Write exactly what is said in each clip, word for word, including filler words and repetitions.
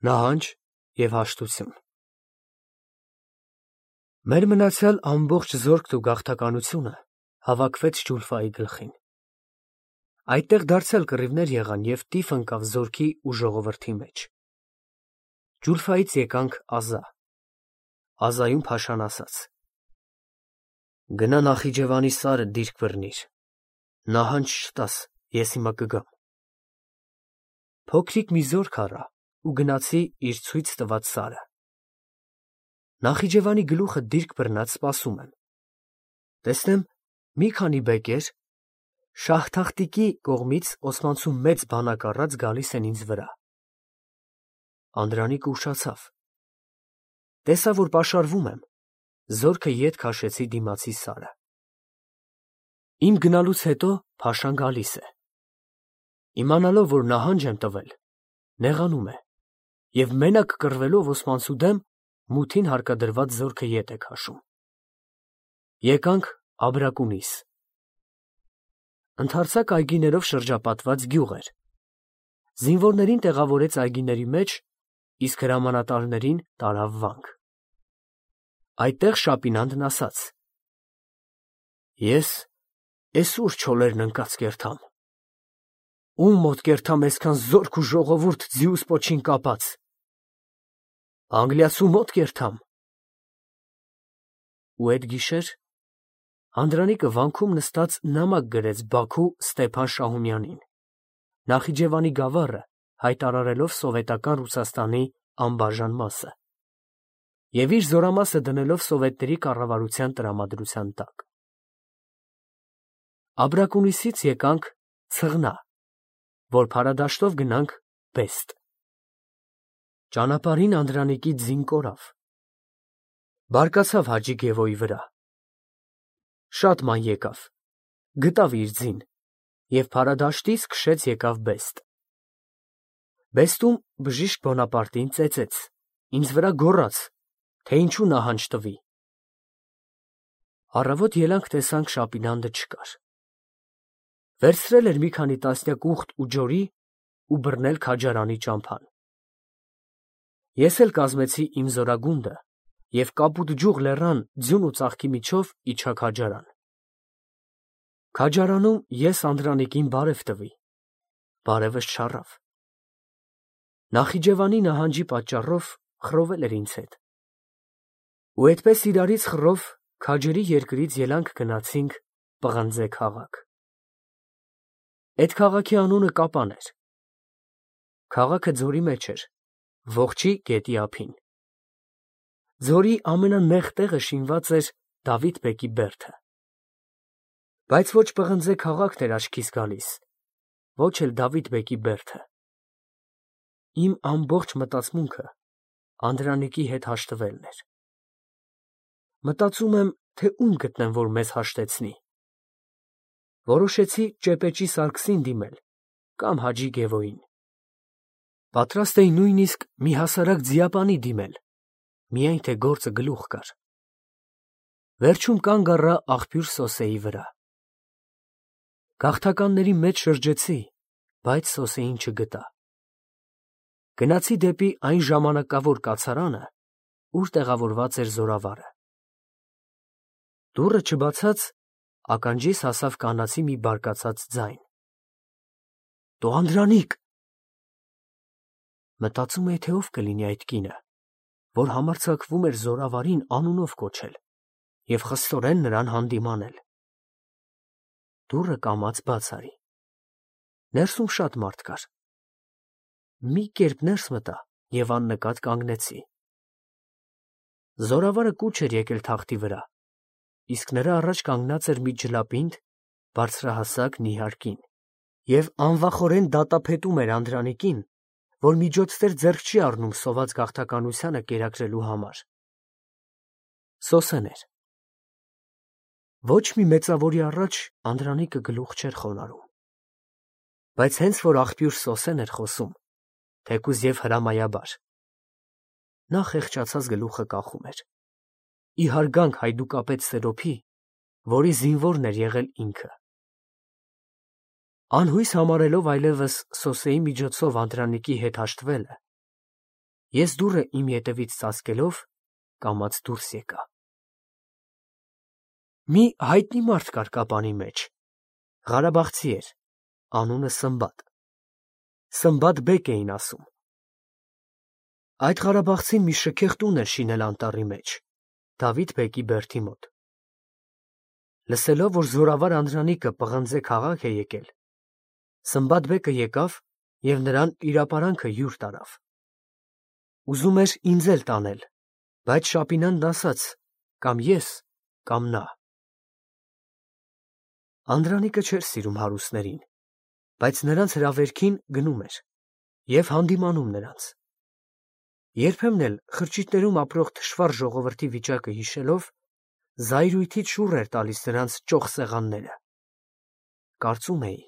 Նահանջ և հաշտություն։ Մեր մնացյալ ամբողջ զորքն ու գաղթականությունը հավաքվեց Ջուլֆայի գլխին։ Այդտեղ դարձյալ կռիվներ եղան և տիֆ ընկավ զորքի ու ժողովրդի մեջ։ Ջուլֆայից եկանք Ազա։ Ազայում Փաշան ասաց. «Գնա Նախիջևանի սարը դիրք բռնիր, նահանջ չտաս, ես հիմա կգամ»։ Փոքրիկ մի զորք առա ու գնացի իր ցույց տված սարը։ Նախիջևանի գլուխը դիրք բռնած սպասում եմ։ Տեսնեմ մի քանի բեկեր Շահ-Թախտիկի կողմից օսմանցու մեծ բանակ առած գալիս են ինձ վրա։ Անդրանիկը ուշացավ։ Տեսա, որ պաշարվում եմ, զորքը ետ քաշեցի դիմացի սարը։ Իմ գնալուց հետո Փաշան գալիս է։ Իմանալով, որ նահանջ եմ տվել, նեղանում է և մենակ կռվելով օսմանցու դեմ մութին հարկադրված զորքը ետ է քաշում։ Եկանք Աբրակունիս։ Ընդարձակ այգիներով շրջապատված գյուղ էր։ Զինվորներին տեղավորեց այգիների մեջ, իսկ հրամանատարներին տարավ վանք։ Այդտեղ Շապինանդն ասաց. «Ես էսուր չոլերն ընկած կերթամ։ Ում մոտ կերթամ այսքան զորք ու ժողովուրդ ձիուս պոչին կապած։ Անգլիացու մոտ կերթամ»։ Ու էդ գիշեր Անդրանիկը վանքում նստած նամակ գրեց Բաքու Ստեփան Շահումյանին, Նախիջևանի գավառը հայտարարելով սովետական Ռուսաստանի անբաժան մասը և իր զորամասը դնելով սովետների կառավարության տրամադրության տակ։ Աբրակունիսից եկանք Ցղնա, որ փարադաշտով գնանք Բեստ։ Ճանապարհին Անդրանիկի ձին կորավ։ Բարկացավ Հաջի Գևոյի վրա։ Շատ ման եկավ, գտավ իր ձին և փարադաշտից քշեց եկավ Բեստ։ Բեստում բժիշկ Բոնապարտին ծեծեց, ինձ վրա գոռաց, թե ինչու նահանջ տվի։ Առավոտ ելանք տեսանք Շապինանդը չկար։ Վերցրել էր մի քանի տասնյակ ուղտ ու ջորի ու բռնել Քաջարանի ճամփան։ Ես էլ կազմեցի իմ զորագունդը և Կապուտ ջուղ լեռան ձյուն ու ծաղկի միջով իջա Քաջարան։ Քաջարանում ես Անդրանիկին բարև տվի, բարևս չառավ։ Նախիջևանի նահանջի պատճառով խռովել էր ինձ հետ։ Ու էդպես իրարից խռով քաջերի երկրից ելանք գնացինք Պղնձե քաղաք։ Էդ քաղաքի անունը Կապան էր։ Քաղաքը ձորի մեջ էր, Ողջի գետի ափին։ Ձորի ամենանեղ տեղը շինված էր Դավիթ բեկի բերդը։ Բայց ոչ Պղնձե քաղաքն էր աչքիս գալիս, ոչ էլ Դավիթ բեկի բերդը։ Իմ ամբողջ մտածմունքը Անդրանիկի հետ հաշտվելն էր։ Մտածում եմ, թե ում գտնեմ, որ մեզ հաշտեցնի։ Որոշեցի Ճեպեջի Սարգսին դիմել կամ Հաջի Գևոյին։ Պատրաստ էի նույնիսկ մի հասարակ ձիապանի դիմել, միայն թե գործը գլուխ գար։ Վերջում կանգ առա աղբյուր Սոսեի վրա։ Գաղթականների մեջ շրջեցի, բայց Սոսեին չգտա։ Գնացի դեպի այն ժամանակավոր կացարանը, ուր տեղավորված էր զորավարը։ Դուռը չբացած ականջիս հասավ կանացի մի բարկացած ձայն. «Տո Անդրանիկ»։ Մտածում էի, թե ով կլինի այդ կինը, որ համարձակվում էր զորավարին անունով կոչել և խստորեն նրան հանդիմանել։ Դուռը կամաց բաց արի։ Ներսում շատ մարդ կար։ Մի կերպ ներս մտա և աննկատ կանգնեցի։ Զորավարը կուչ էր եկել թախտի վրա, իսկ նրա առաջ կանգնած էր մի ջլապինդ, բարձրահասակ նիհար կին և անվախորեն դատապետում էր Անդրանիկին, որ միջոցներ ձեռք չի առնում սոված գաղթականությանը կերակրելու համար։ Սոսեն էր։ Ոչ մի մեծավորի առաջ Անդրանիկը գլուխ չէր խոնարհում։ Բայց հենց որ աղբյուր Սոսեն էր խոսում, թեկուզ և հրամայաբար, նա խեղճացած գլուխը կախում էր, ի հարգանք հայդուկապետ Սերոփի, որի զինվորն էր եղել ինքը։ Անհույս համարելով այլևս Սոսեի միջոցով Անդրանիկի հետ հաշտվելը, Ես դուռը իմ ետևից ծածկելով կամաց դուրս եկա։ Մի հայտնի մարդ կար կապանի մեջ, Ղարաբաղցի էր, անունը Սմբատ։ Սմբատ բեկ էին ասում։ Այդ ղարաբաղցին մի շքեղ տուն էր շինել անտառի մեջ, Դավիթ բեկի բերդի մոտ։ Լսելով, որ զորավար անդրանիկը պղնձե քաղաք է եկել, Սմբատ բեկը եկավ և նրան իրապարանքը յուր տարավ։ Ուզում էր ինձ էլ տանել, բայց Շապինան ասաց. կամ ես, կամ նա։ Անդրանիկը չէր սիրում հարուստներին, բայց նրանց հրավերքին գնում էր և հանդիմանում նրանց։ Երբեմն էլ խրճիթներում ապրող թշվառ ժողովրդի վիճակը հիշելով, զայրույթից շուռ էր տալիս նրանց ճոխ սեղանները։ Կարծում էի,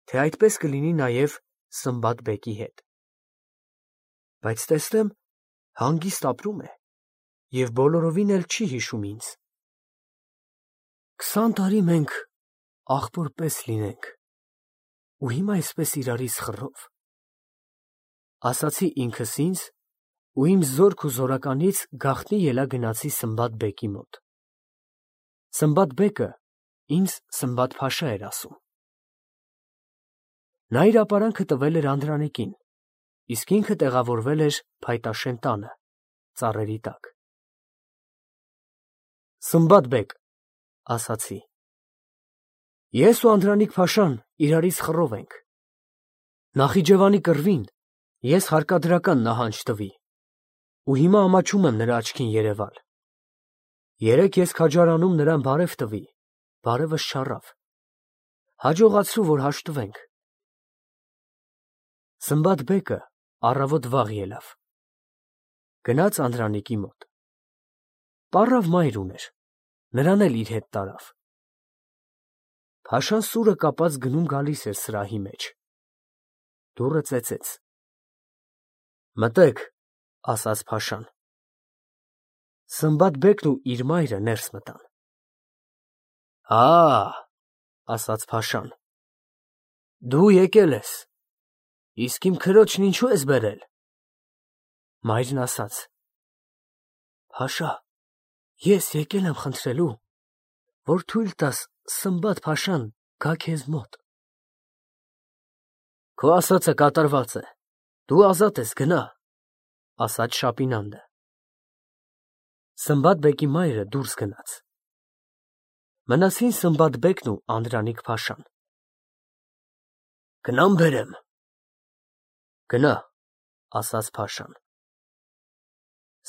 թե այդպես կլինի նաև Սմբատ բեկի հետ։ Բայց տեսնեմ, հանգիստ ապրում է և բոլորովին էլ չի հիշում ինձ։ Քսան տարի մենք ախպոր պես լինենք, ու հիմա այսպես իրարից խռով, ասացի ինքս ինձ ու իմ զորք ու զորականից գաղտնի ելա գնացի Սմբատ բեկի մոտ։ Սմբատ բեկը ինձ Սմբատ֊փաշա էր ասում։ Նա իր ապարանքը տվել էր անդրանիկին, իսկ ինքը տեղավորվել էր Փայտաշեն տանը, ծառերի տակ։ Սմբատ բեկ, ասացի, ես ու Անդրանիկ-փաշան իրարից խռով ենք։ Նախիջևանի կռվին ես հարկադրական նահանջ տվի, ու հիմա ամաչում եմ նրա աչքին երևալ։ Երեկ ես քաջարանում նրան բարև տվի, բարևս չառավ։ Հաջողացրու, որ հաշտվենք։ Սմբատ բեկը առավոտ վաղ ելավ։ Գնաց Անդրանիկի մոտ։ Պառավ մայր ուներ, նրան էլ իր հետ տարավ։ Փաշան սուրը կապած գնում գալիս էր սրահի մեջ։ Դուռը ծեծեց։ Մտեք, ասաց Փաշան։ Սմբատ բեկն ու իր մայրը ներս մտան։ Ա, ասաց Փաշան, դու եկել ես, իսկ իմ քրոջն ինչու ես բերել։ Մայրն ասաց. Փաշա, ես եկել եմ խնդրելու, որ թույլ տաս Սմբատ-փաշան գա քեզ մոտ։ Քո ասածը կատարված է, դու ազատ ես, գնա, ասաց Շապինանդը։ Սմբատ բեկի մայրը դուրս գնաց։ Մնացին Սմբատ բեկն ու Անդրանիկ-փաշան։ Գնամ բերեմ։ Գնա, ասաց Փաշան։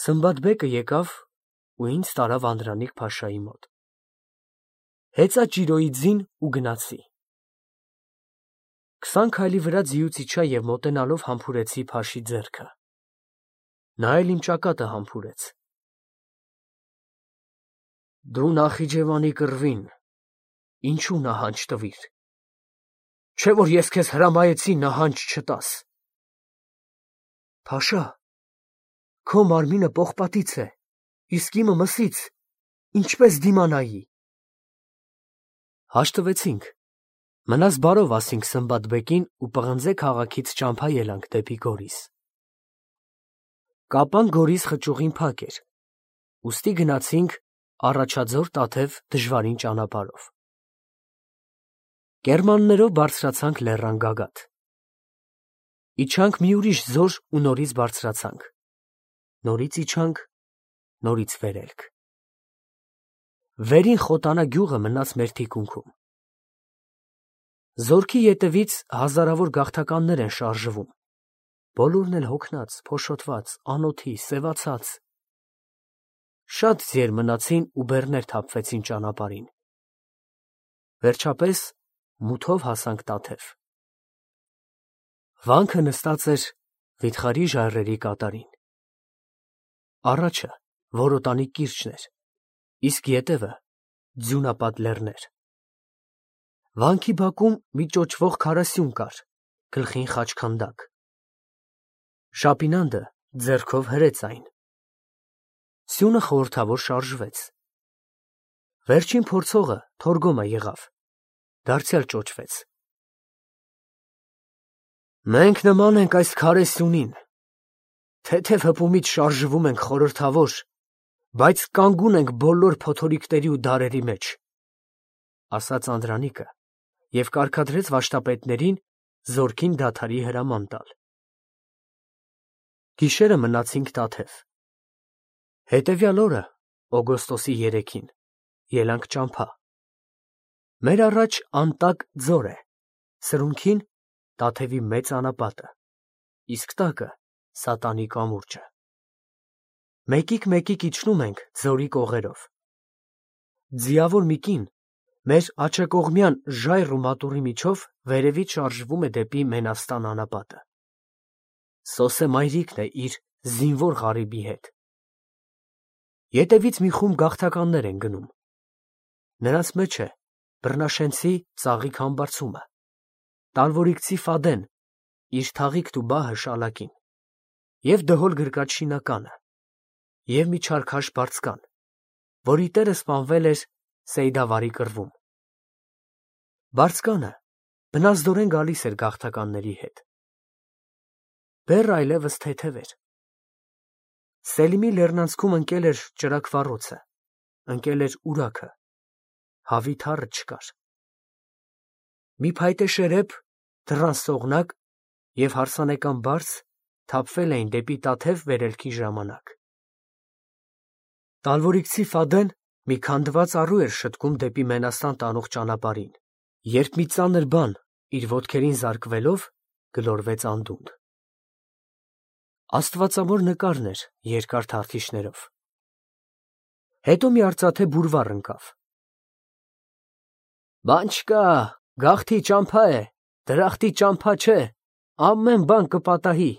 Սմբատ բեկը եկավ ու ինձ տարավ Անդրանիկ-փաշայի մոտ։ Հեծա ճիրոյի ձին ու գնացի։ Քսան քայլի վրա ձիուց իջա և մոտենալով համբուրեցի Փաշի ձեռքը։ Նա էլ իմ ճակատը համբուրեց։ Դու Նախիջևանի կռվին ինչու նահանջ տվիր, չէ՞ որ ես քեզ հրամայեցի նահանջ չտաս։ Փաշա, քո մարմինը պողպատից է, իսկ իմը մսից, ինչպես դիմանայի։ Հաշտվեցինք, մնաս բարով ասինք Սմբատ բեկին ու պղնձե քաղաքից ճամփա ելանք դեպի Գորիս։ Կապան Գորիս խճուղին փակ էր, ուստի գնացինք Առաջաձոր Տաթև դժվարին ճանապարհով։ Կերմաններով բարձրացանք լեռան գագաթ։ Իջանք մի ուրիշ ձոր ու նորից բարձրացանք։ Նորից իջանք, նորից վերելք։ Վերին Խոտանա գյուղը մնաց մեր թիկունքում։ Զորքի ետևից հազարավոր գաղթականներ են շարժվում, բոլորն էլ հոգնած, փոշոտված, անոթի, սևացած։ Շատ ձիեր մնացին ու բեռներ թափվեցին ճանապարհին։ Վերջապես մութով հասանք Տաթև։ Վանքը նստած էր վիթխարի ժայռերի կատարին։ Առաջը որոտանի կիրճն էր, իսկ ետևը ձյունապատ լեռներ։ Վանքի բակում մի ճոճվող քարասյուն կար, գլխին խաչքանդակ։ Շապինանդը ձեռքով հրեց այն։ Սյունը խորհրդավոր շարժվեց։ Վերջին փորձողը Թորգոմը եղավ, դարձյալ ճոճվեց։ Մենք նման ենք այս քարե սյունին, Թեթև հպումից շարժվում ենք խորհրդավոր, բայց կանգուն ենք բոլոր փոթորիկների ու դարերի մեջ, ասաց Անդրանիկը և կարգադրեց վարդապետներին զորքին դադարի հրաման տալ։ Գիշերը մնացինք տաթև։ Հետևյալ օրը, օգոստոսի երեքին, ելանք ճամփա։ Մեր առաջ անտակ ձոր է, սրունքին Տաթևի մեծ անապատը, իսկ տակը Սատանի կամուրջը։ Մեկիկ-մեկիկ իջնում ենք ձորի կողերով։ Ձիավոր մի կին մեր աջակողմյան ժայռ ու մատուռի միջով վերևից շարժվում է դեպի Մենաստան անապատը։ Սոսե մայրիկն է իր զինվոր ղարիբի հետ։ Ետևից մի խումբ գաղթականներ են գնում։ Նրանց մեջ է բռնաշենցի Ծաղիկ Համբարձումը, տալվորիկցի Ֆադեն, իր թաղիկն ու բահը Շալակին, և դհոլ գրկած Շինականը, և մի չարքաշ բարձկան, որի տերը սպանվել էր Սեյդավարի կռվում։ Բարձկանը բնազդորեն գալիս էր գաղթականների հետ։ Բեռը այլևս թեթև էր։ Սելիմի լեռնանցքում ընկել էր ճրագվառոցը, ընկել էր ուրաքը, հավի թառը չկար։ Մի փայտե շերեփ, դռան սողնակ և հարսանեկան բարձ թափվել էին դեպի Տաթև վերելքի ժամանակ։ Տալվորիկցի Ֆադեն մի քանդված առու էր շտկում դեպի Մենաստան տանող ճանապարհին, երբ մի ծանր բան իր ոտքերին զարկվելով գլորվեց անդունդ։ Աստվածամոր նկարն էր երկար թարթիշներով։ Հետո մի արծաթե բուրվառ ընկավ։ Բան չկա, գաղթի ճամփա է, դրախտի ճամփա չէ, ամեն բան կպատահի,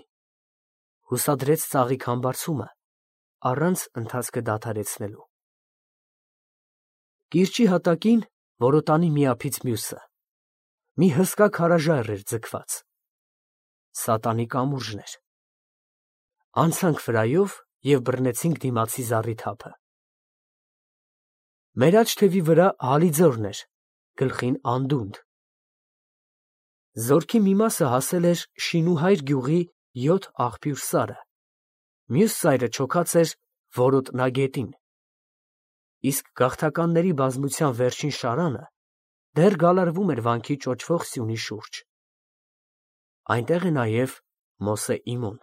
հուսադրեց Ծաղիկ Համբարձումը, առանց ընթացքը դադարեցնելու։ Կիրճի հատակին որոտանի մի ափից մյուսը մի հսկա քարաժայռ էր ձգված։ Սատանի կամուրջն էր։ Անցանք վրայով և բռնեցինք դիմացի զառիթափը։ Մեր աջ թևի վրա Հալիձորն էր, գլխին անդունդ։ Զորքի մի մասը հասել էր Շինուհայր գյուղի յոթ աղբյուր սարը, մյուս ծայրը չոքած էր Որոտնագետին, իսկ գաղթականների բազմության վերջին շարանը դեռ գալարվում էր վանքի ճոճվող սյունի շուրջ։ Այնտեղ է նաև Մոսե Իմոն։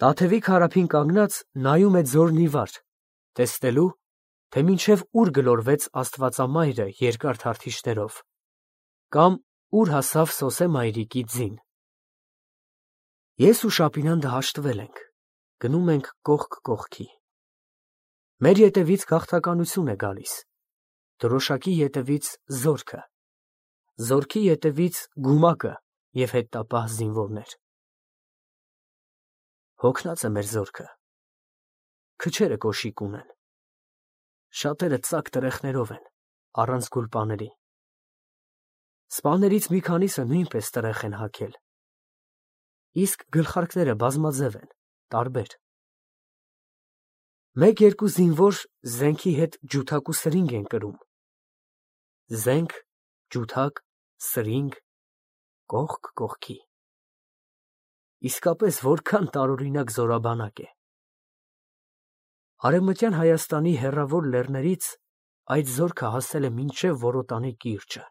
Տաթևի քարափին կանգնած նայում է ձորն ի վար, տեսնելու, թե մինչև ուր գլորվեց Աստվածամայրը երկար թարթիշներով, կամ ուր հասավ Սոսե մայրիկի ձին։ Ես ու Շապինանդը հաշտվել ենք, գնում ենք կողք կողքի։ Մեր ետևից գաղթականություն է գալիս, դրոշակի ետևից զորքը, զորքի ետևից գումակը և հետտապահ զինվորներ։ Հոգնած է մեր զորքը, քչերը կոշիկ ունեն, շատերը ծակ տրեխներով են, առանց գուլպաների։ Սպաներից մի քանիսը նույնպես տրեխ են հագել, իսկ գլխարկները բազմաձև են, տարբեր։ Մեկ-երկու զինվոր զենքի հետ ջութակ ու սրինգ են կրում։ Զենք, ջութակ, սրինգ, կողք կողքի։ Իսկապես որքան տարօրինակ զորաբանակ է։ Արևմտյան Հայաստանի հեռավոր լեռներից այդ զորքը հասել է մինչև Որոտանի կիրճը։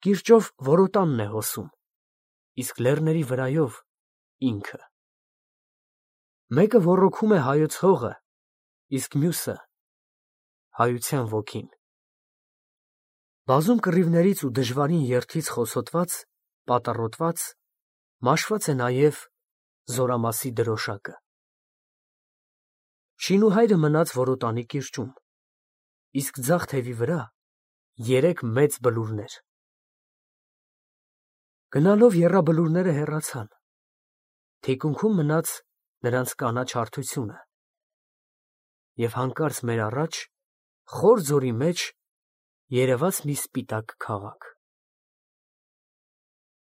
Կիրճով Որոտանն է հոսում, իսկ լեռների վրայով ինքը։ Մեկը ոռոգում է հայոց հողը, իսկ մյուսը հայության ոգին։ Բազում կռիվներից ու դժվարին երթից խոցոտված, պատառոտված, մաշված է նաև զորամասի դրոշակը։ Շինուհայրը մնաց Որոտանի կիրճում, իսկ ձախ թևի վրա երեք մեծ բլուրներ։ Գնալով եռաբլուրները հեռացան, թիկունքում մնաց նրանց կանաչ հարթությունը, և հանկարծ մեր առաջ, խոր ձորի մեջ, երևաց մի սպիտակ քաղաք։